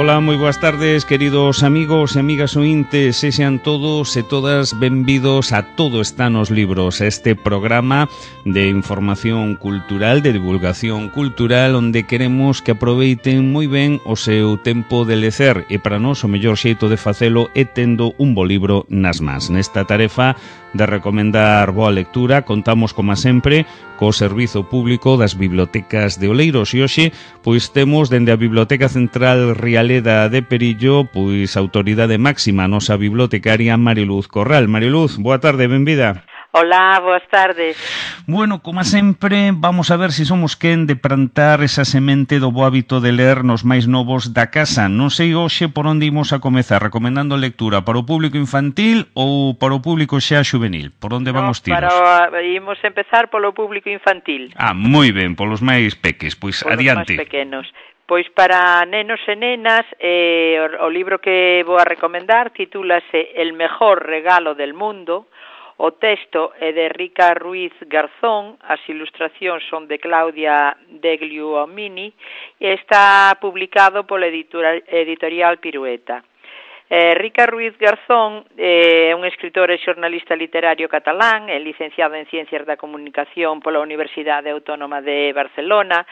Ola, moi boas tardes, queridos amigos e amigas ointes, sexan todos e todas benvidos a Todo está nos libros, este programa de información cultural, de divulgación cultural, onde queremos que aproveiten moi ben o seu tempo de lecer, e para nós o mellor xeito de facelo é tendo un bo libro nas mans. Nesta tarefa de recomendar boa lectura, contamos, como sempre, co Servizo Público das Bibliotecas de Oleiros, e hoxe, pois, temos dende a Biblioteca Central Rialeda de Perillo, pois, autoridade máxima, a nosa bibliotecaria Mariluz Corral. Mariluz, boa tarde, benvida. Hola, boas tardes. Bueno, como sempre, vamos a ver se somos quen de plantar esa semente do bo hábito de ler nos máis novos da casa. Non sei hoxe por onde imos a comezar, recomendando lectura para o público infantil ou para o público xa juvenil. Por onde van os tiros? Imos empezar polo público infantil. Moi ben, polos máis peques, pois adiante. Polos máis pequenos. Pois para nenos e nenas, o libro que vou a recomendar titúlase El mejor regalo del mundo. O texto é de Rica Ruiz Garzón, as ilustracións son de Claudia Degliuomini e está publicado pola editorial Pirueta. Rica Ruiz Garzón é un escritor e xornalista literario catalán, é licenciado en Ciencias da Comunicación pola Universidade Autónoma de Barcelona,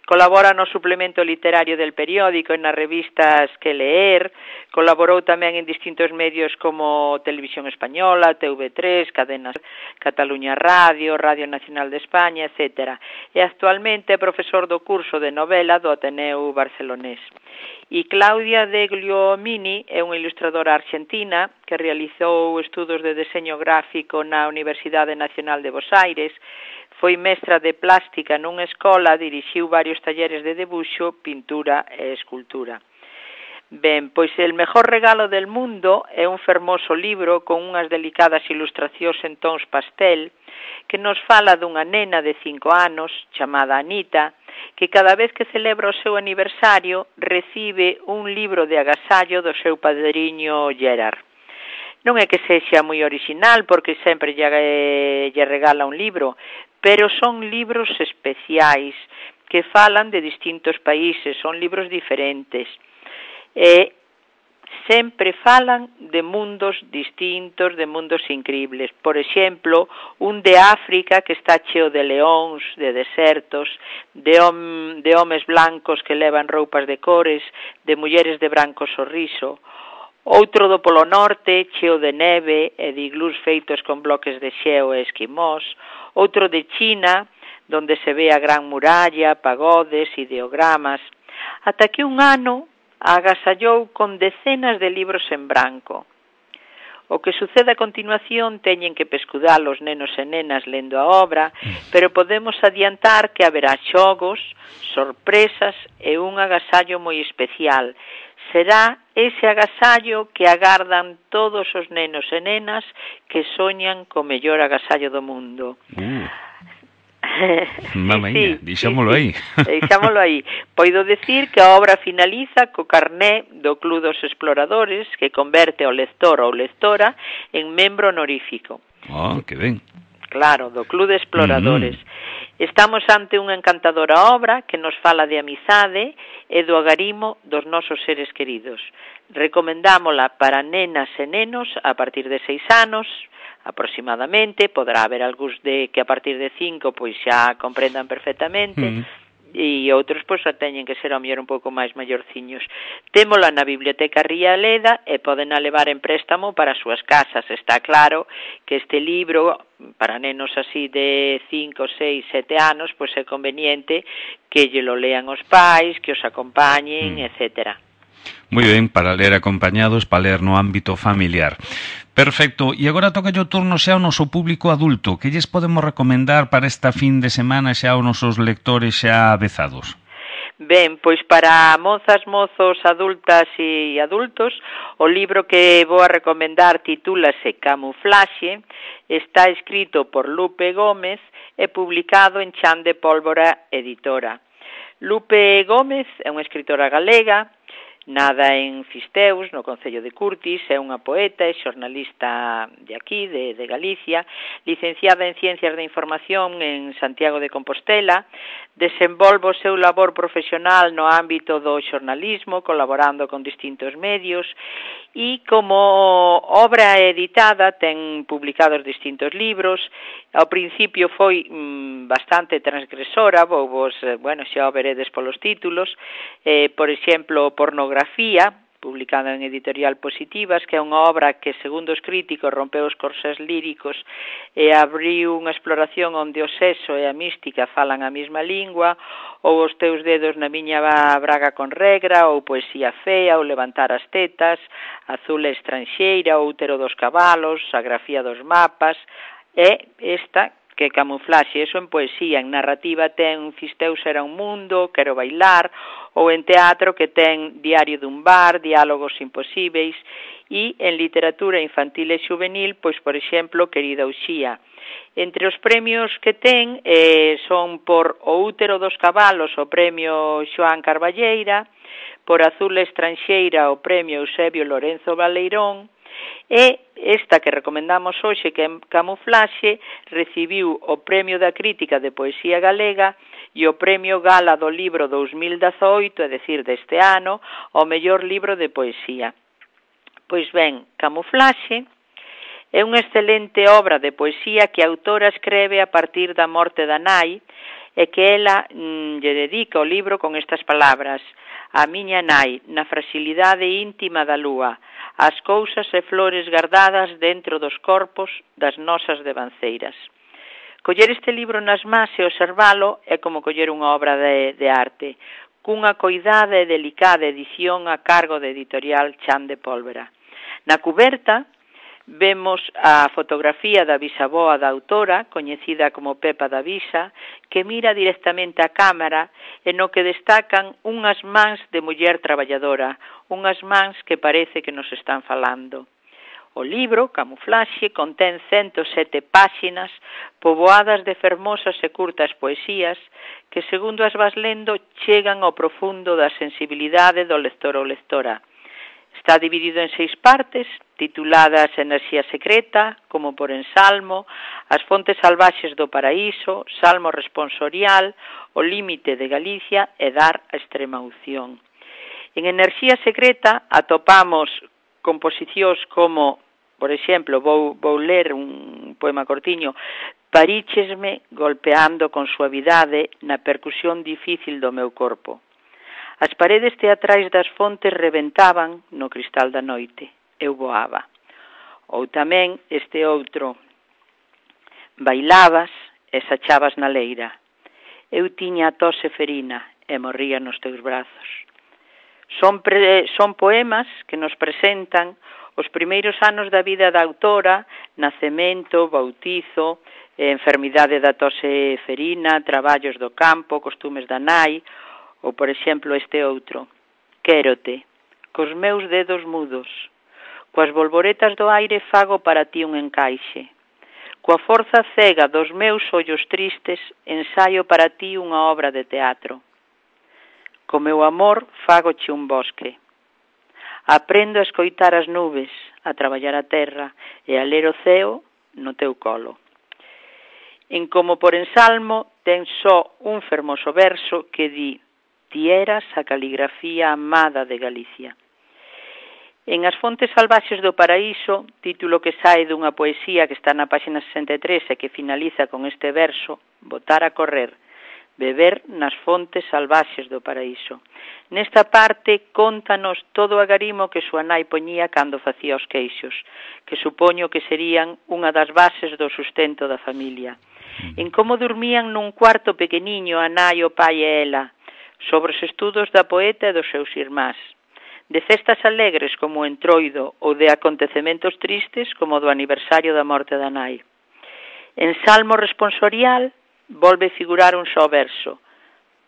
colabora no suplemento literario del periódico e nas revistas Que Leer, colaborou tamén en distintos medios como Televisión Española, TV3, Cadenas Cataluña Radio, Radio Nacional de España, etc. E actualmente é profesor do curso de novela do Ateneu Barcelonés. E Claudia Degliuomini é unha ilustradora argentina que realizou estudos de deseño gráfico na Universidade Nacional de Buenos Aires, foi mestra de plástica nunha escola, dirixiu varios talleres de debuxo, pintura e escultura. Ben, pois El mejor regalo del mundo é un fermoso libro con unhas delicadas ilustracións en tons pastel que nos fala dunha nena de 5 anos chamada Anita que cada vez que celebra o seu aniversario recibe un libro de agasallo do seu padriño Gerard. Non é que sexa moi original porque sempre lle regala un libro, pero son libros especiais que falan de distintos países, son libros diferentes. E sempre falan de mundos distintos, de mundos increíbles. Por exemplo, un de África que está cheo de leóns, de desertos, de homes blancos que levan roupas de cores, de mulleres de branco sorriso. Outro do Polo Norte, cheo de neve e de iglús feitos con bloques de xeo e esquimós. Outro de China, donde se ve a Gran Muralla, pagodes, ideogramas. Ata que un ano agasallou con decenas de libros en branco. O que sucede a continuación teñen que pescudar os nenos e nenas lendo a obra, pero podemos adiantar que haberá xogos, sorpresas e un agasallo moi especial. Será ese agasallo que agardan todos os nenos e nenas que soñan co mellor agasallo do mundo. Mamaña, deixámolo aí. Deixámolo aí. Poido decir que a obra finaliza co carné do Club dos Exploradores que converte o lector ou lectora en membro honorífico. Que ben. Claro, do Club de Exploradores. Estamos ante unha encantadora obra que nos fala de amizade e do agarimo dos nosos seres queridos. Recomendámola para nenas e nenos a partir de 6 anos, aproximadamente, poderá haber algúns que a partir de 5 pois xa comprendan perfectamente e outros pois xa teñen que ser ao mellor un pouco máis maiorciños. Témola na Biblioteca Rialeda e poden a levar en préstamo para as súas casas. Está claro que este libro para nenos así de 5, 6, 7 anos pois é conveniente que lle lo lean os pais, que os acompañen, etcétera. Moi ben, para ler acompañados, para ler no ámbito familiar. Perfecto, e agora toca o turno xa ao noso público adulto. Que lles podemos recomendar para esta fin de semana xa aos nosos lectores xa avezados? Ben, pois para mozas, mozos, adultas e adultos, o libro que vou a recomendar titúlase Camuflaxe, está escrito por Lupe Gómez e publicado en Chan de Pólvora Editora. Lupe Gómez é unha escritora galega, Nada en Fisteus, no concello de Curtis, é unha poeta e xornalista de aquí, de Galicia, licenciada en Ciencias de Información en Santiago de Compostela, desenvolve o seu labor profesional no ámbito do xornalismo, colaborando con distintos medios, e como obra editada ten publicados distintos libros. Ao principio foi bastante transgresora, xa o veredes polos títulos, por exemplo, Pornografía, publicada en Editorial Positivas, que é unha obra que, segundo os críticos, rompeu os corsés líricos e abriu unha exploración onde o sexo e a mística falan a mesma lingua, ou Os teus dedos na miña braga con regra, ou Poesía fea, ou Levantar as tetas, Azul e estranxeira, o Útero dos cabalos, A grafía dos mapas, e esta que Camuflaxe, eso en poesía. En narrativa ten Fisteus era un mundo, Quero bailar, ou en teatro que ten Diario dun bar, Diálogos imposíveis, e en literatura infantil e juvenil, pois, por exemplo, Querida Uxía. Entre os premios que ten son por O útero dos cabalos, o premio Xoán Carballeira, por Azul e estranxeira, o premio Eusebio Lorenzo Baleirón, e esta que recomendamos hoxe, que é Camuflaxe, recibiu o Premio da Crítica de Poesía Galega e o Premio Gala do Libro 2018, é dicir, deste ano, ao mellor libro de poesía. Pois ben, Camuflaxe é unha excelente obra de poesía que a autora escreve a partir da morte da nai e que ela lle dedica o libro con estas palabras: a miña nai, na fragilidade íntima da lúa, as cousas e flores guardadas dentro dos corpos das nosas devanceiras. Coller este libro nas mans e observalo é como coller unha obra de arte, cunha coidada e delicada edición a cargo de Editorial Chan de Pólvora. Na cuberta vemos a fotografía da bisaboa da autora, coñecida como Pepa da Visa, que mira directamente á cámara e no que destacan unhas mans de muller traballadora, unhas mans que parece que nos están falando. O libro, Camuflaxe, contén 107 páxinas poboadas de fermosas e curtas poesías que, segundo as vas lendo, chegan ao profundo da sensibilidade do lector ou lectora. Está dividido en 6 partes, tituladas Enerxía secreta, como por ensalmo, As fontes salvaxes do paraíso, Salmo responsorial, O límite de Galicia e Dar a extrema unción. En Enerxía secreta atopamos composicións como, por exemplo, vou ler un poema cortiño, Paríchesme golpeando con suavidade na percusión difícil do meu corpo. As paredes teatrais das fontes rebentaban no cristal da noite. Eu voaba. Ou tamén este outro. Bailabas e sachabas na leira. Eu tiña a tose ferina e morría nos teus brazos. Son poemas que nos presentan os primeiros anos da vida da autora, nacemento, bautizo, enfermidade da tose ferina, traballos do campo, costumes da nai, ou, por exemplo, este outro. Quérote, cos meus dedos mudos, coas bolboretas do aire fago para ti un encaixe. Coa forza cega dos meus ollos tristes ensaio para ti unha obra de teatro. Co meu amor fagoche un bosque. Aprendo a escoitar as nubes, a traballar a terra e a ler o ceo no teu colo. En Como por ensalmo ten só un fermoso verso que di: ti eras a caligrafía amada de Galicia. En As fontes salvaxes do paraíso, título que sae dunha poesía que está na páxina 63 e que finaliza con este verso: botar a correr, beber nas fontes salvaxes do paraíso. Nesta parte, contanos todo o agarimo que súa nai poñía cando facía os queixos, que supoño que serían unha das bases do sustento da familia. En como dormían nun cuarto pequeniño a nai, o pai e ela, sobre os estudos da poeta e dos seus irmás, de festas alegres como o Entroido ou de acontecementos tristes como o do aniversario da morte da nai. En Salmo responsorial volve figurar un só verso: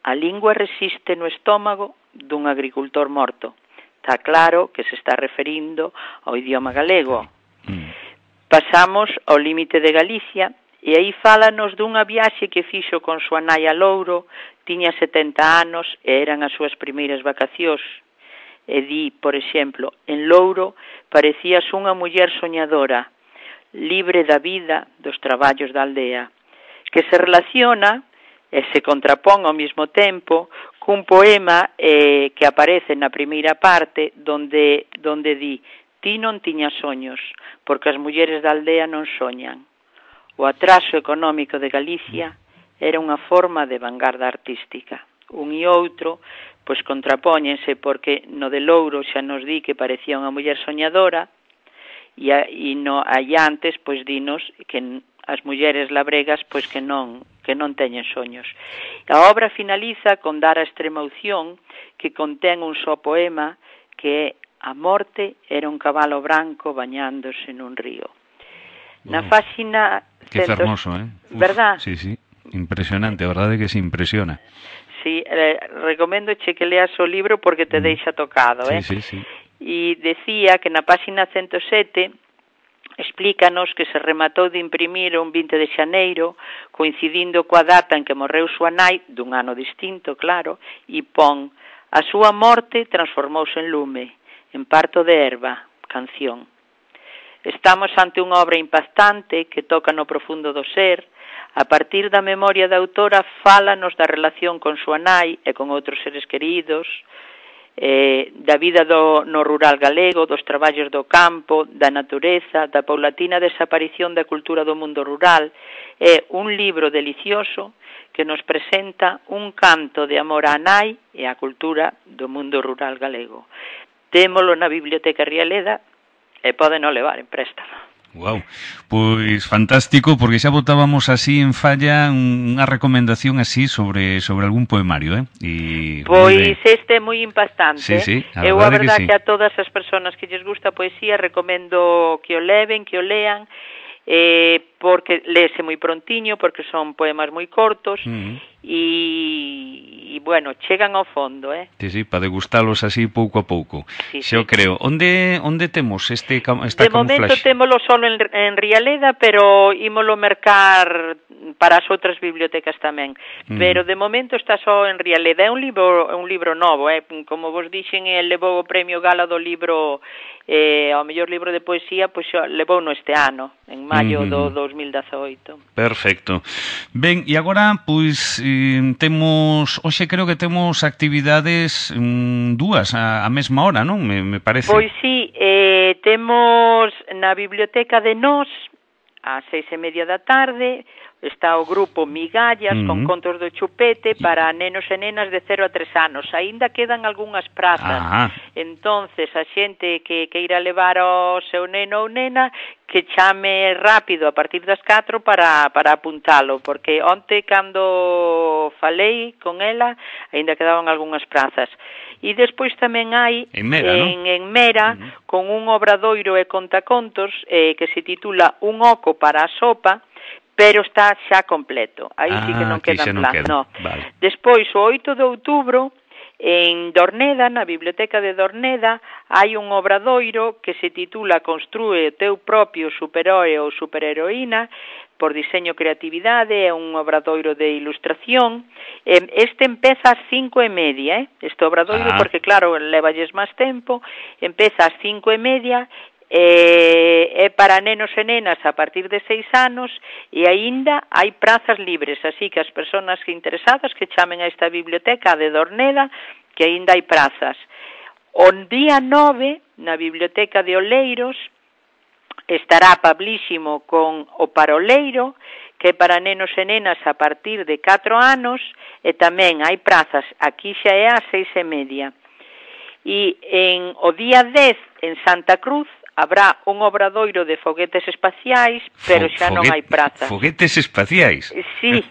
a lingua resiste no estómago dun agricultor morto. Está claro que se está referindo ao idioma galego. Pasamos ao límite de Galicia, e aí fálanos dunha viaxe que fixo con súa nai a Louro, tiña 70 anos e eran as súas primeiras vacacións. e di, por exemplo, en Louro parecías unha muller soñadora, libre da vida, dos traballos da aldea, que se relaciona e se contrapón ao mesmo tempo cun poema que aparece na primeira parte donde di: ti non tiñas soños, porque as mulleres da aldea non soñan. O atraso económico de Galicia era unha forma de vanguarda artística. Un e outro pois contrapóñense, porque no de Louro xa nos di que parecía unha muller soñadora, e no allantes pois dinos que as mulleres labregas pois que non teñen soños. A obra finaliza con dar a extrema unción, que contén un só poema, que é A morte era un cabalo branco bañándose nun río. Na páxina... Que fermoso, verdad? Sí, sí, impresionante, a verdade que se impresiona. Sí, recoméndoche que leas o libro porque te deixa tocado, Sí, sí. E decía que na páxina 107 explícanos que se rematou de imprimir un 20 de xaneiro, coincidindo coa data en que morreu súa nai, dun ano distinto, claro, e pon: a súa morte transformouse en lume, en parto de erva, canción. Estamos ante unha obra impactante que toca no profundo do ser. A partir da memoria da autora, fálanos da relación con súa nai e con outros seres queridos, da vida no rural galego, dos traballos do campo, da natureza, da paulatina desaparición da cultura do mundo rural. É un libro delicioso que nos presenta un canto de amor á nai e á cultura do mundo rural galego. Témolo na Biblioteca Rialeda e pódeno levar en préstamo. Wow, pois fantástico, porque xa botábamos así en falla unha recomendación así sobre algún poemario, E pois este é moi impactante. Sí, Eu a verdade que a todas as persoas que lles gusta a poesía recomendo que o leven, que o lean, porque léese moi prontiño, porque son poemas moi cortos, e bueno, chegan ao fondo, Sí, para degustalos así pouco a pouco. Sí, Xa o creo. Onde temos esta camuflaxe? De momento témolo solo en Rialeda, pero ímolo mercar para as outras bibliotecas tamén. Pero de momento está só en Rialeda. É un libro novo, como vos dixen, el levou o premio Gala do libro ao mellor libro de poesía, pois levou no este ano, en maio do 2018. Perfecto. Ben, e agora, pois, hoxe creo que temos actividades dúas a mesma hora, non? Me parece. Pois sí, temos na Biblioteca de Nós, ás 6:30 da tarde, está o grupo Migallas con contos do chupete para nenos e nenas de 0 a 3 anos. Aínda quedan algunhas prazas. Entonces, a xente que queira levar o seu neno ou nena, que chame rápido a partir das 4 para apuntalo, porque onte cando falei con ela, aínda quedaban algunhas prazas. E despois tamén hai en Mera con un obradoiro e contacontos que se titula Un oco para a sopa, pero está xa completo. Aí sí que non quedan plazas. No. Vale. Despois, o 8 de outubro, en Dorneda, na Biblioteca de Dorneda, hai un obradoiro que se titula Construe o teu propio superhéroe ou superheroína, por diseño creatividade, é un obradoiro de ilustración. Este empeza ás 5:30, este obradoiro, porque claro, levalles máis tempo, empeza ás 5:30, é para nenos e nenas a partir de 6 anos e aínda hai prazas libres, así que as persoas interesadas que chamen a esta biblioteca de Dorneda, que aínda hai prazas. O día 9, na Biblioteca de Oleiros, estará Pablísimo con O Paroleiro, que é para nenos e nenas a partir de 4 anos, e tamén hai prazas, aquí xa é ás 6:30. E o día 10, en Santa Cruz, habrá un obradoiro de foguetes espaciais, pero xa non hai prazas. Foguetes espaciais? Sí,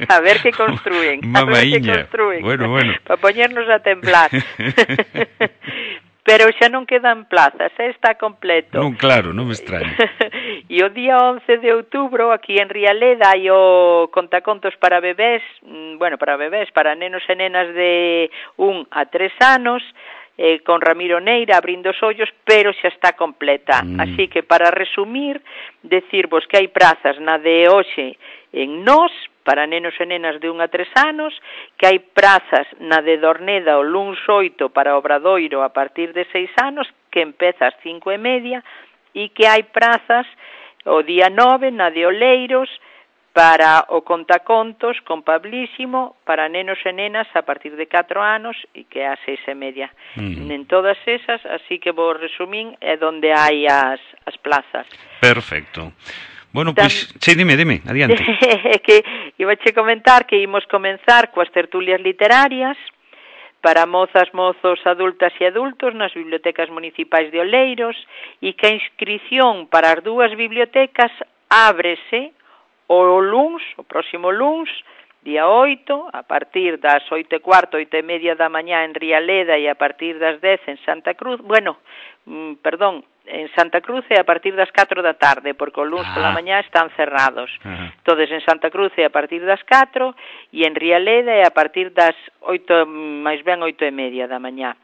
a ver que construen. Mamaíña. Bueno. Para poñernos a temblar. Pero xa non quedan plazas, está completo. Non, claro, non me extraña. E o día 11 de outubro, aquí en Rialeda, hai o contacontos para bebés, para nenos e nenas de 1 a 3 anos, con Ramiro Neira abrindo os ollos, pero xa está completa. Así que, para resumir, decirvos que hai prazas na de hoxe en Nós, para nenos e nenas de 1 a 3 anos, que hai prazas na de Dorneda o luns 8 para Obradoiro a partir de 6 anos, que empeza ás 5:30, e que hai prazas o día 9 na de Oleiros para o contacontos con Pablísimo para nenos e nenas a partir de 4 anos e que é ás 6:30. En todas esas, así que vos resumín, é donde hai as plazas. Perfecto. Bueno, pois, sí, dime, adiante. Que ibache comentar que imos comenzar coas tertulias literarias para mozas, mozos, adultas e adultos nas bibliotecas municipais de Oleiros e que a inscrición para as dúas bibliotecas ábrese o próximo luns, día 8, a partir das 8:15, 8:30 da mañá en Rialeda e a partir das 10 en Santa Cruz, en Santa Cruz é a partir das 4 da tarde, porque o luns pola mañá están cerrados. Entonces en Santa Cruz é a partir das 4 e en Rialeda é a partir das 8, máis ben 8:30 da mañá.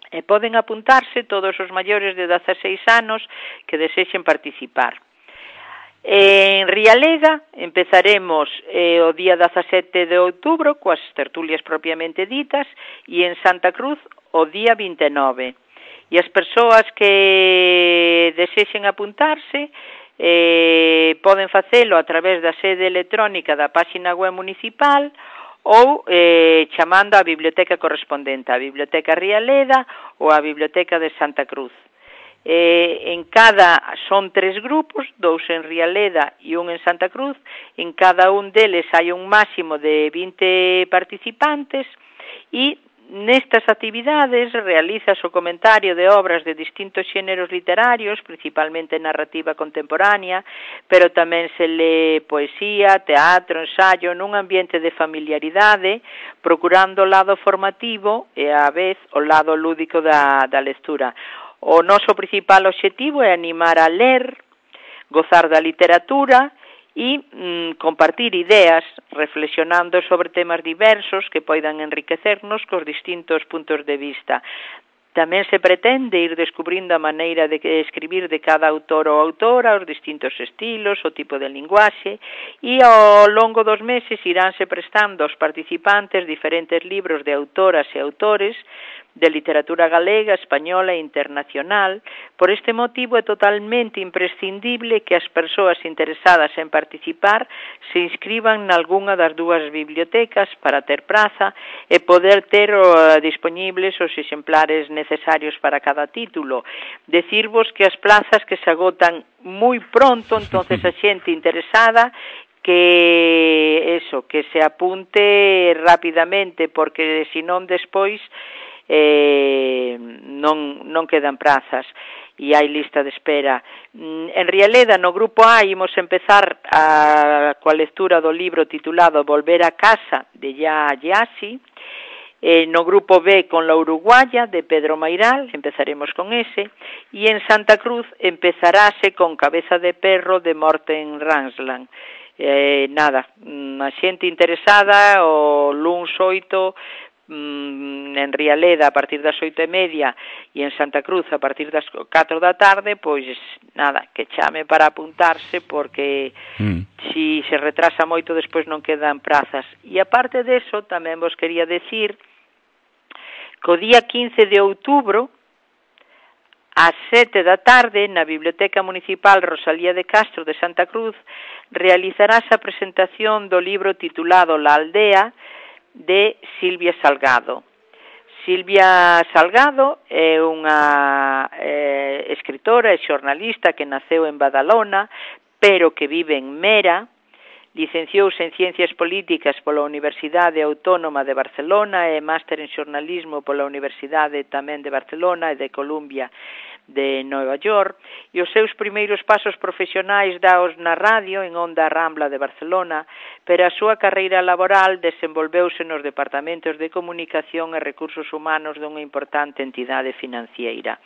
E poden apuntarse todos os maiores de 16 anos que desexen participar. En Rialeda empezaremos o día 17 de outubro coas tertulias propiamente ditas e en Santa Cruz o día 29. E as persoas que desexen apuntarse poden facelo a través da sede electrónica da páxina web municipal ou chamando á biblioteca correspondente, a Biblioteca Rialeda ou a Biblioteca de Santa Cruz. Son 3 grupos, 2 en Rialeda e 1 en Santa Cruz. En cada un deles hai un máximo de 20 participantes e nestas actividades realizas o comentario de obras de distintos xéneros literarios, principalmente narrativa contemporánea, pero tamén se lee poesía, teatro, ensayo, nun ambiente de familiaridade, procurando o lado formativo e á vez o lado lúdico da lectura. O noso principal obxectivo é animar a ler, gozar da literatura e compartir ideas, reflexionando sobre temas diversos que poidan enriquecernos cos distintos puntos de vista. Tamén se pretende ir descubrindo a maneira de escribir de cada autor ou autora, os distintos estilos, o tipo de linguaxe, e ao longo dos meses iránse prestando aos participantes diferentes libros de autoras e autores de literatura galega, española e internacional. Por este motivo é totalmente imprescindible que as persoas interesadas en participar se inscriban nalgunha das dúas bibliotecas para ter praza e poder ter disponibles os exemplares necesarios para cada título. Decirvos que as plazas que se agotan moi pronto, entonces a xente interesada que se apunte rapidamente, porque senón despois non quedan prazas e hai lista de espera. En Rialeda, no grupo A, imos empezar coa lectura do libro titulado Volver a casa, de Ya Yassi. No grupo B, con La Uruguaya, de Pedro Mairal, empezaremos con ese, e en Santa Cruz empezarase con Cabeza de perro, de Morten Ransland. A xente interesada o luns 8 en Rialeda a partir das 8:30 e en Santa Cruz a partir das 4 da tarde, pois que chame para apuntarse, porque si se retrasa moito despois non quedan prazas. E aparte deso, tamén vos quería decir que o día 15 de outubro ás 7 da tarde na Biblioteca Municipal Rosalía de Castro de Santa Cruz realizarás a presentación do libro titulado La Aldea, de Silvia Salgado. Silvia Salgado é unha escritora e xornalista que naceu en Badalona, pero que vive en Mera. Licenciouse en Ciencias Políticas pola Universidade Autónoma de Barcelona e máster en xornalismo pola Universidade tamén de Barcelona e de Columbia de Nova York, e os seus primeiros pasos profesionais daos na radio en Onda Rambla de Barcelona, pero a súa carreira laboral desenvolveuse nos departamentos de comunicación e recursos humanos dunha importante entidade financiera.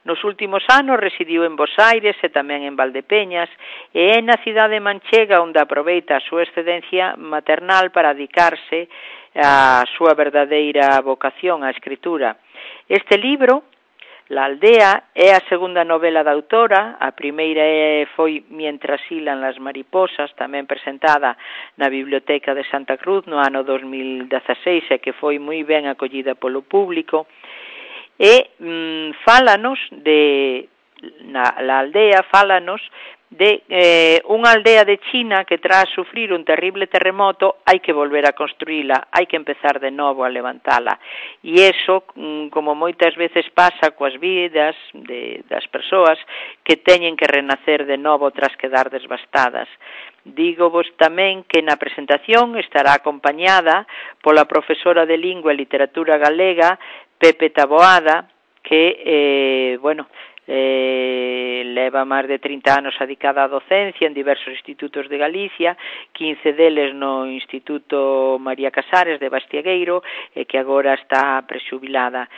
Nos últimos anos residiu en Bos Aires e tamén en Valdepeñas, e é na cidade manchega onde aproveita a súa excedencia maternal para dedicarse á súa verdadeira vocación á escritura. Este libro La aldea é a segunda novela da autora, a primeira foi Mientras hilan las mariposas, tamén presentada na Biblioteca de Santa Cruz no ano 2016 e que foi moi ben acollida polo público, e fálanos de la aldea, fálanos de unha aldea de China que tras sufrir un terrible terremoto hai que volver a construíla, hai que empezar de novo a levantala. E iso, como moitas veces pasa coas vidas das persoas que teñen que renacer de novo tras quedar desbastadas. Dígovos tamén que na presentación estará acompañada pola profesora de Lingua e Literatura Galega, Pepe Taboada, que, leva máis de 30 anos adicada á docencia en diversos institutos de Galicia, 15 deles no Instituto María Casares de Bastiagueiro, e que agora está prexubilada.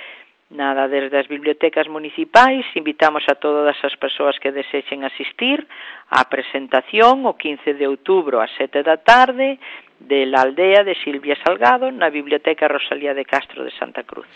Nada, desde as bibliotecas municipais invitamos a todas as persoas que desexen asistir á presentación o 15 de outubro ás 7 da tarde de la aldea de Silvia Salgado na Biblioteca Rosalía de Castro de Santa Cruz.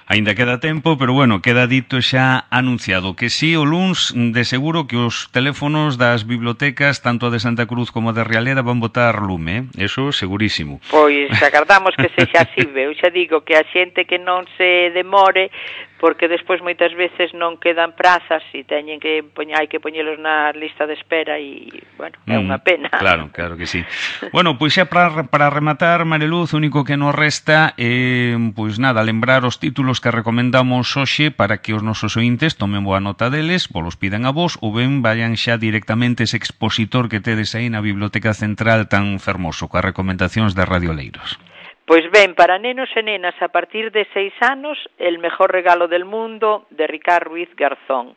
Ainda queda tempo, pero bueno, queda dito xa anunciado que sí, o luns de seguro que os teléfonos das bibliotecas, tanto a de Santa Cruz como a de Realeda, van botar lume, eso segurísimo. Pois agardamos que sexa así, eu xa digo que a xente que non se demore, porque despois moitas veces non quedan prazas e teñen que hai que poñelos na lista de espera e, bueno, é unha pena. Claro que sí. Bueno, pois xa para rematar, Mariluz, o único que nos resta é, pois nada, lembrar os títulos que recomendamos hoxe para que os nosos ointes tomen boa nota deles, vos pidan a vos ou ben vayan xa directamente ese expositor que tedes aí na Biblioteca Central tan fermoso, coas recomendacións de Radio Oleiros. Pois ben, para nenos e nenas a partir de 6 anos, El mejor regalo del mundo, de Ricard Ruiz Garzón.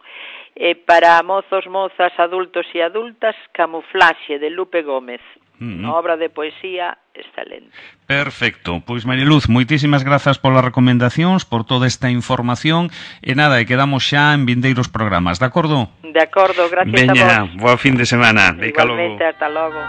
Para mozos, mozas, adultos e adultas, Camuflaxe, de Lupe Gómez. Unha obra de poesía excelente. Perfecto. Pois, Mariluz, moitísimas grazas polas recomendacións, por toda esta información, e nada, e quedamos xa en vindeiros programas, de acordo? De acordo, gracias a vos. Veña, boa fin de semana. Igualmente, hasta logo.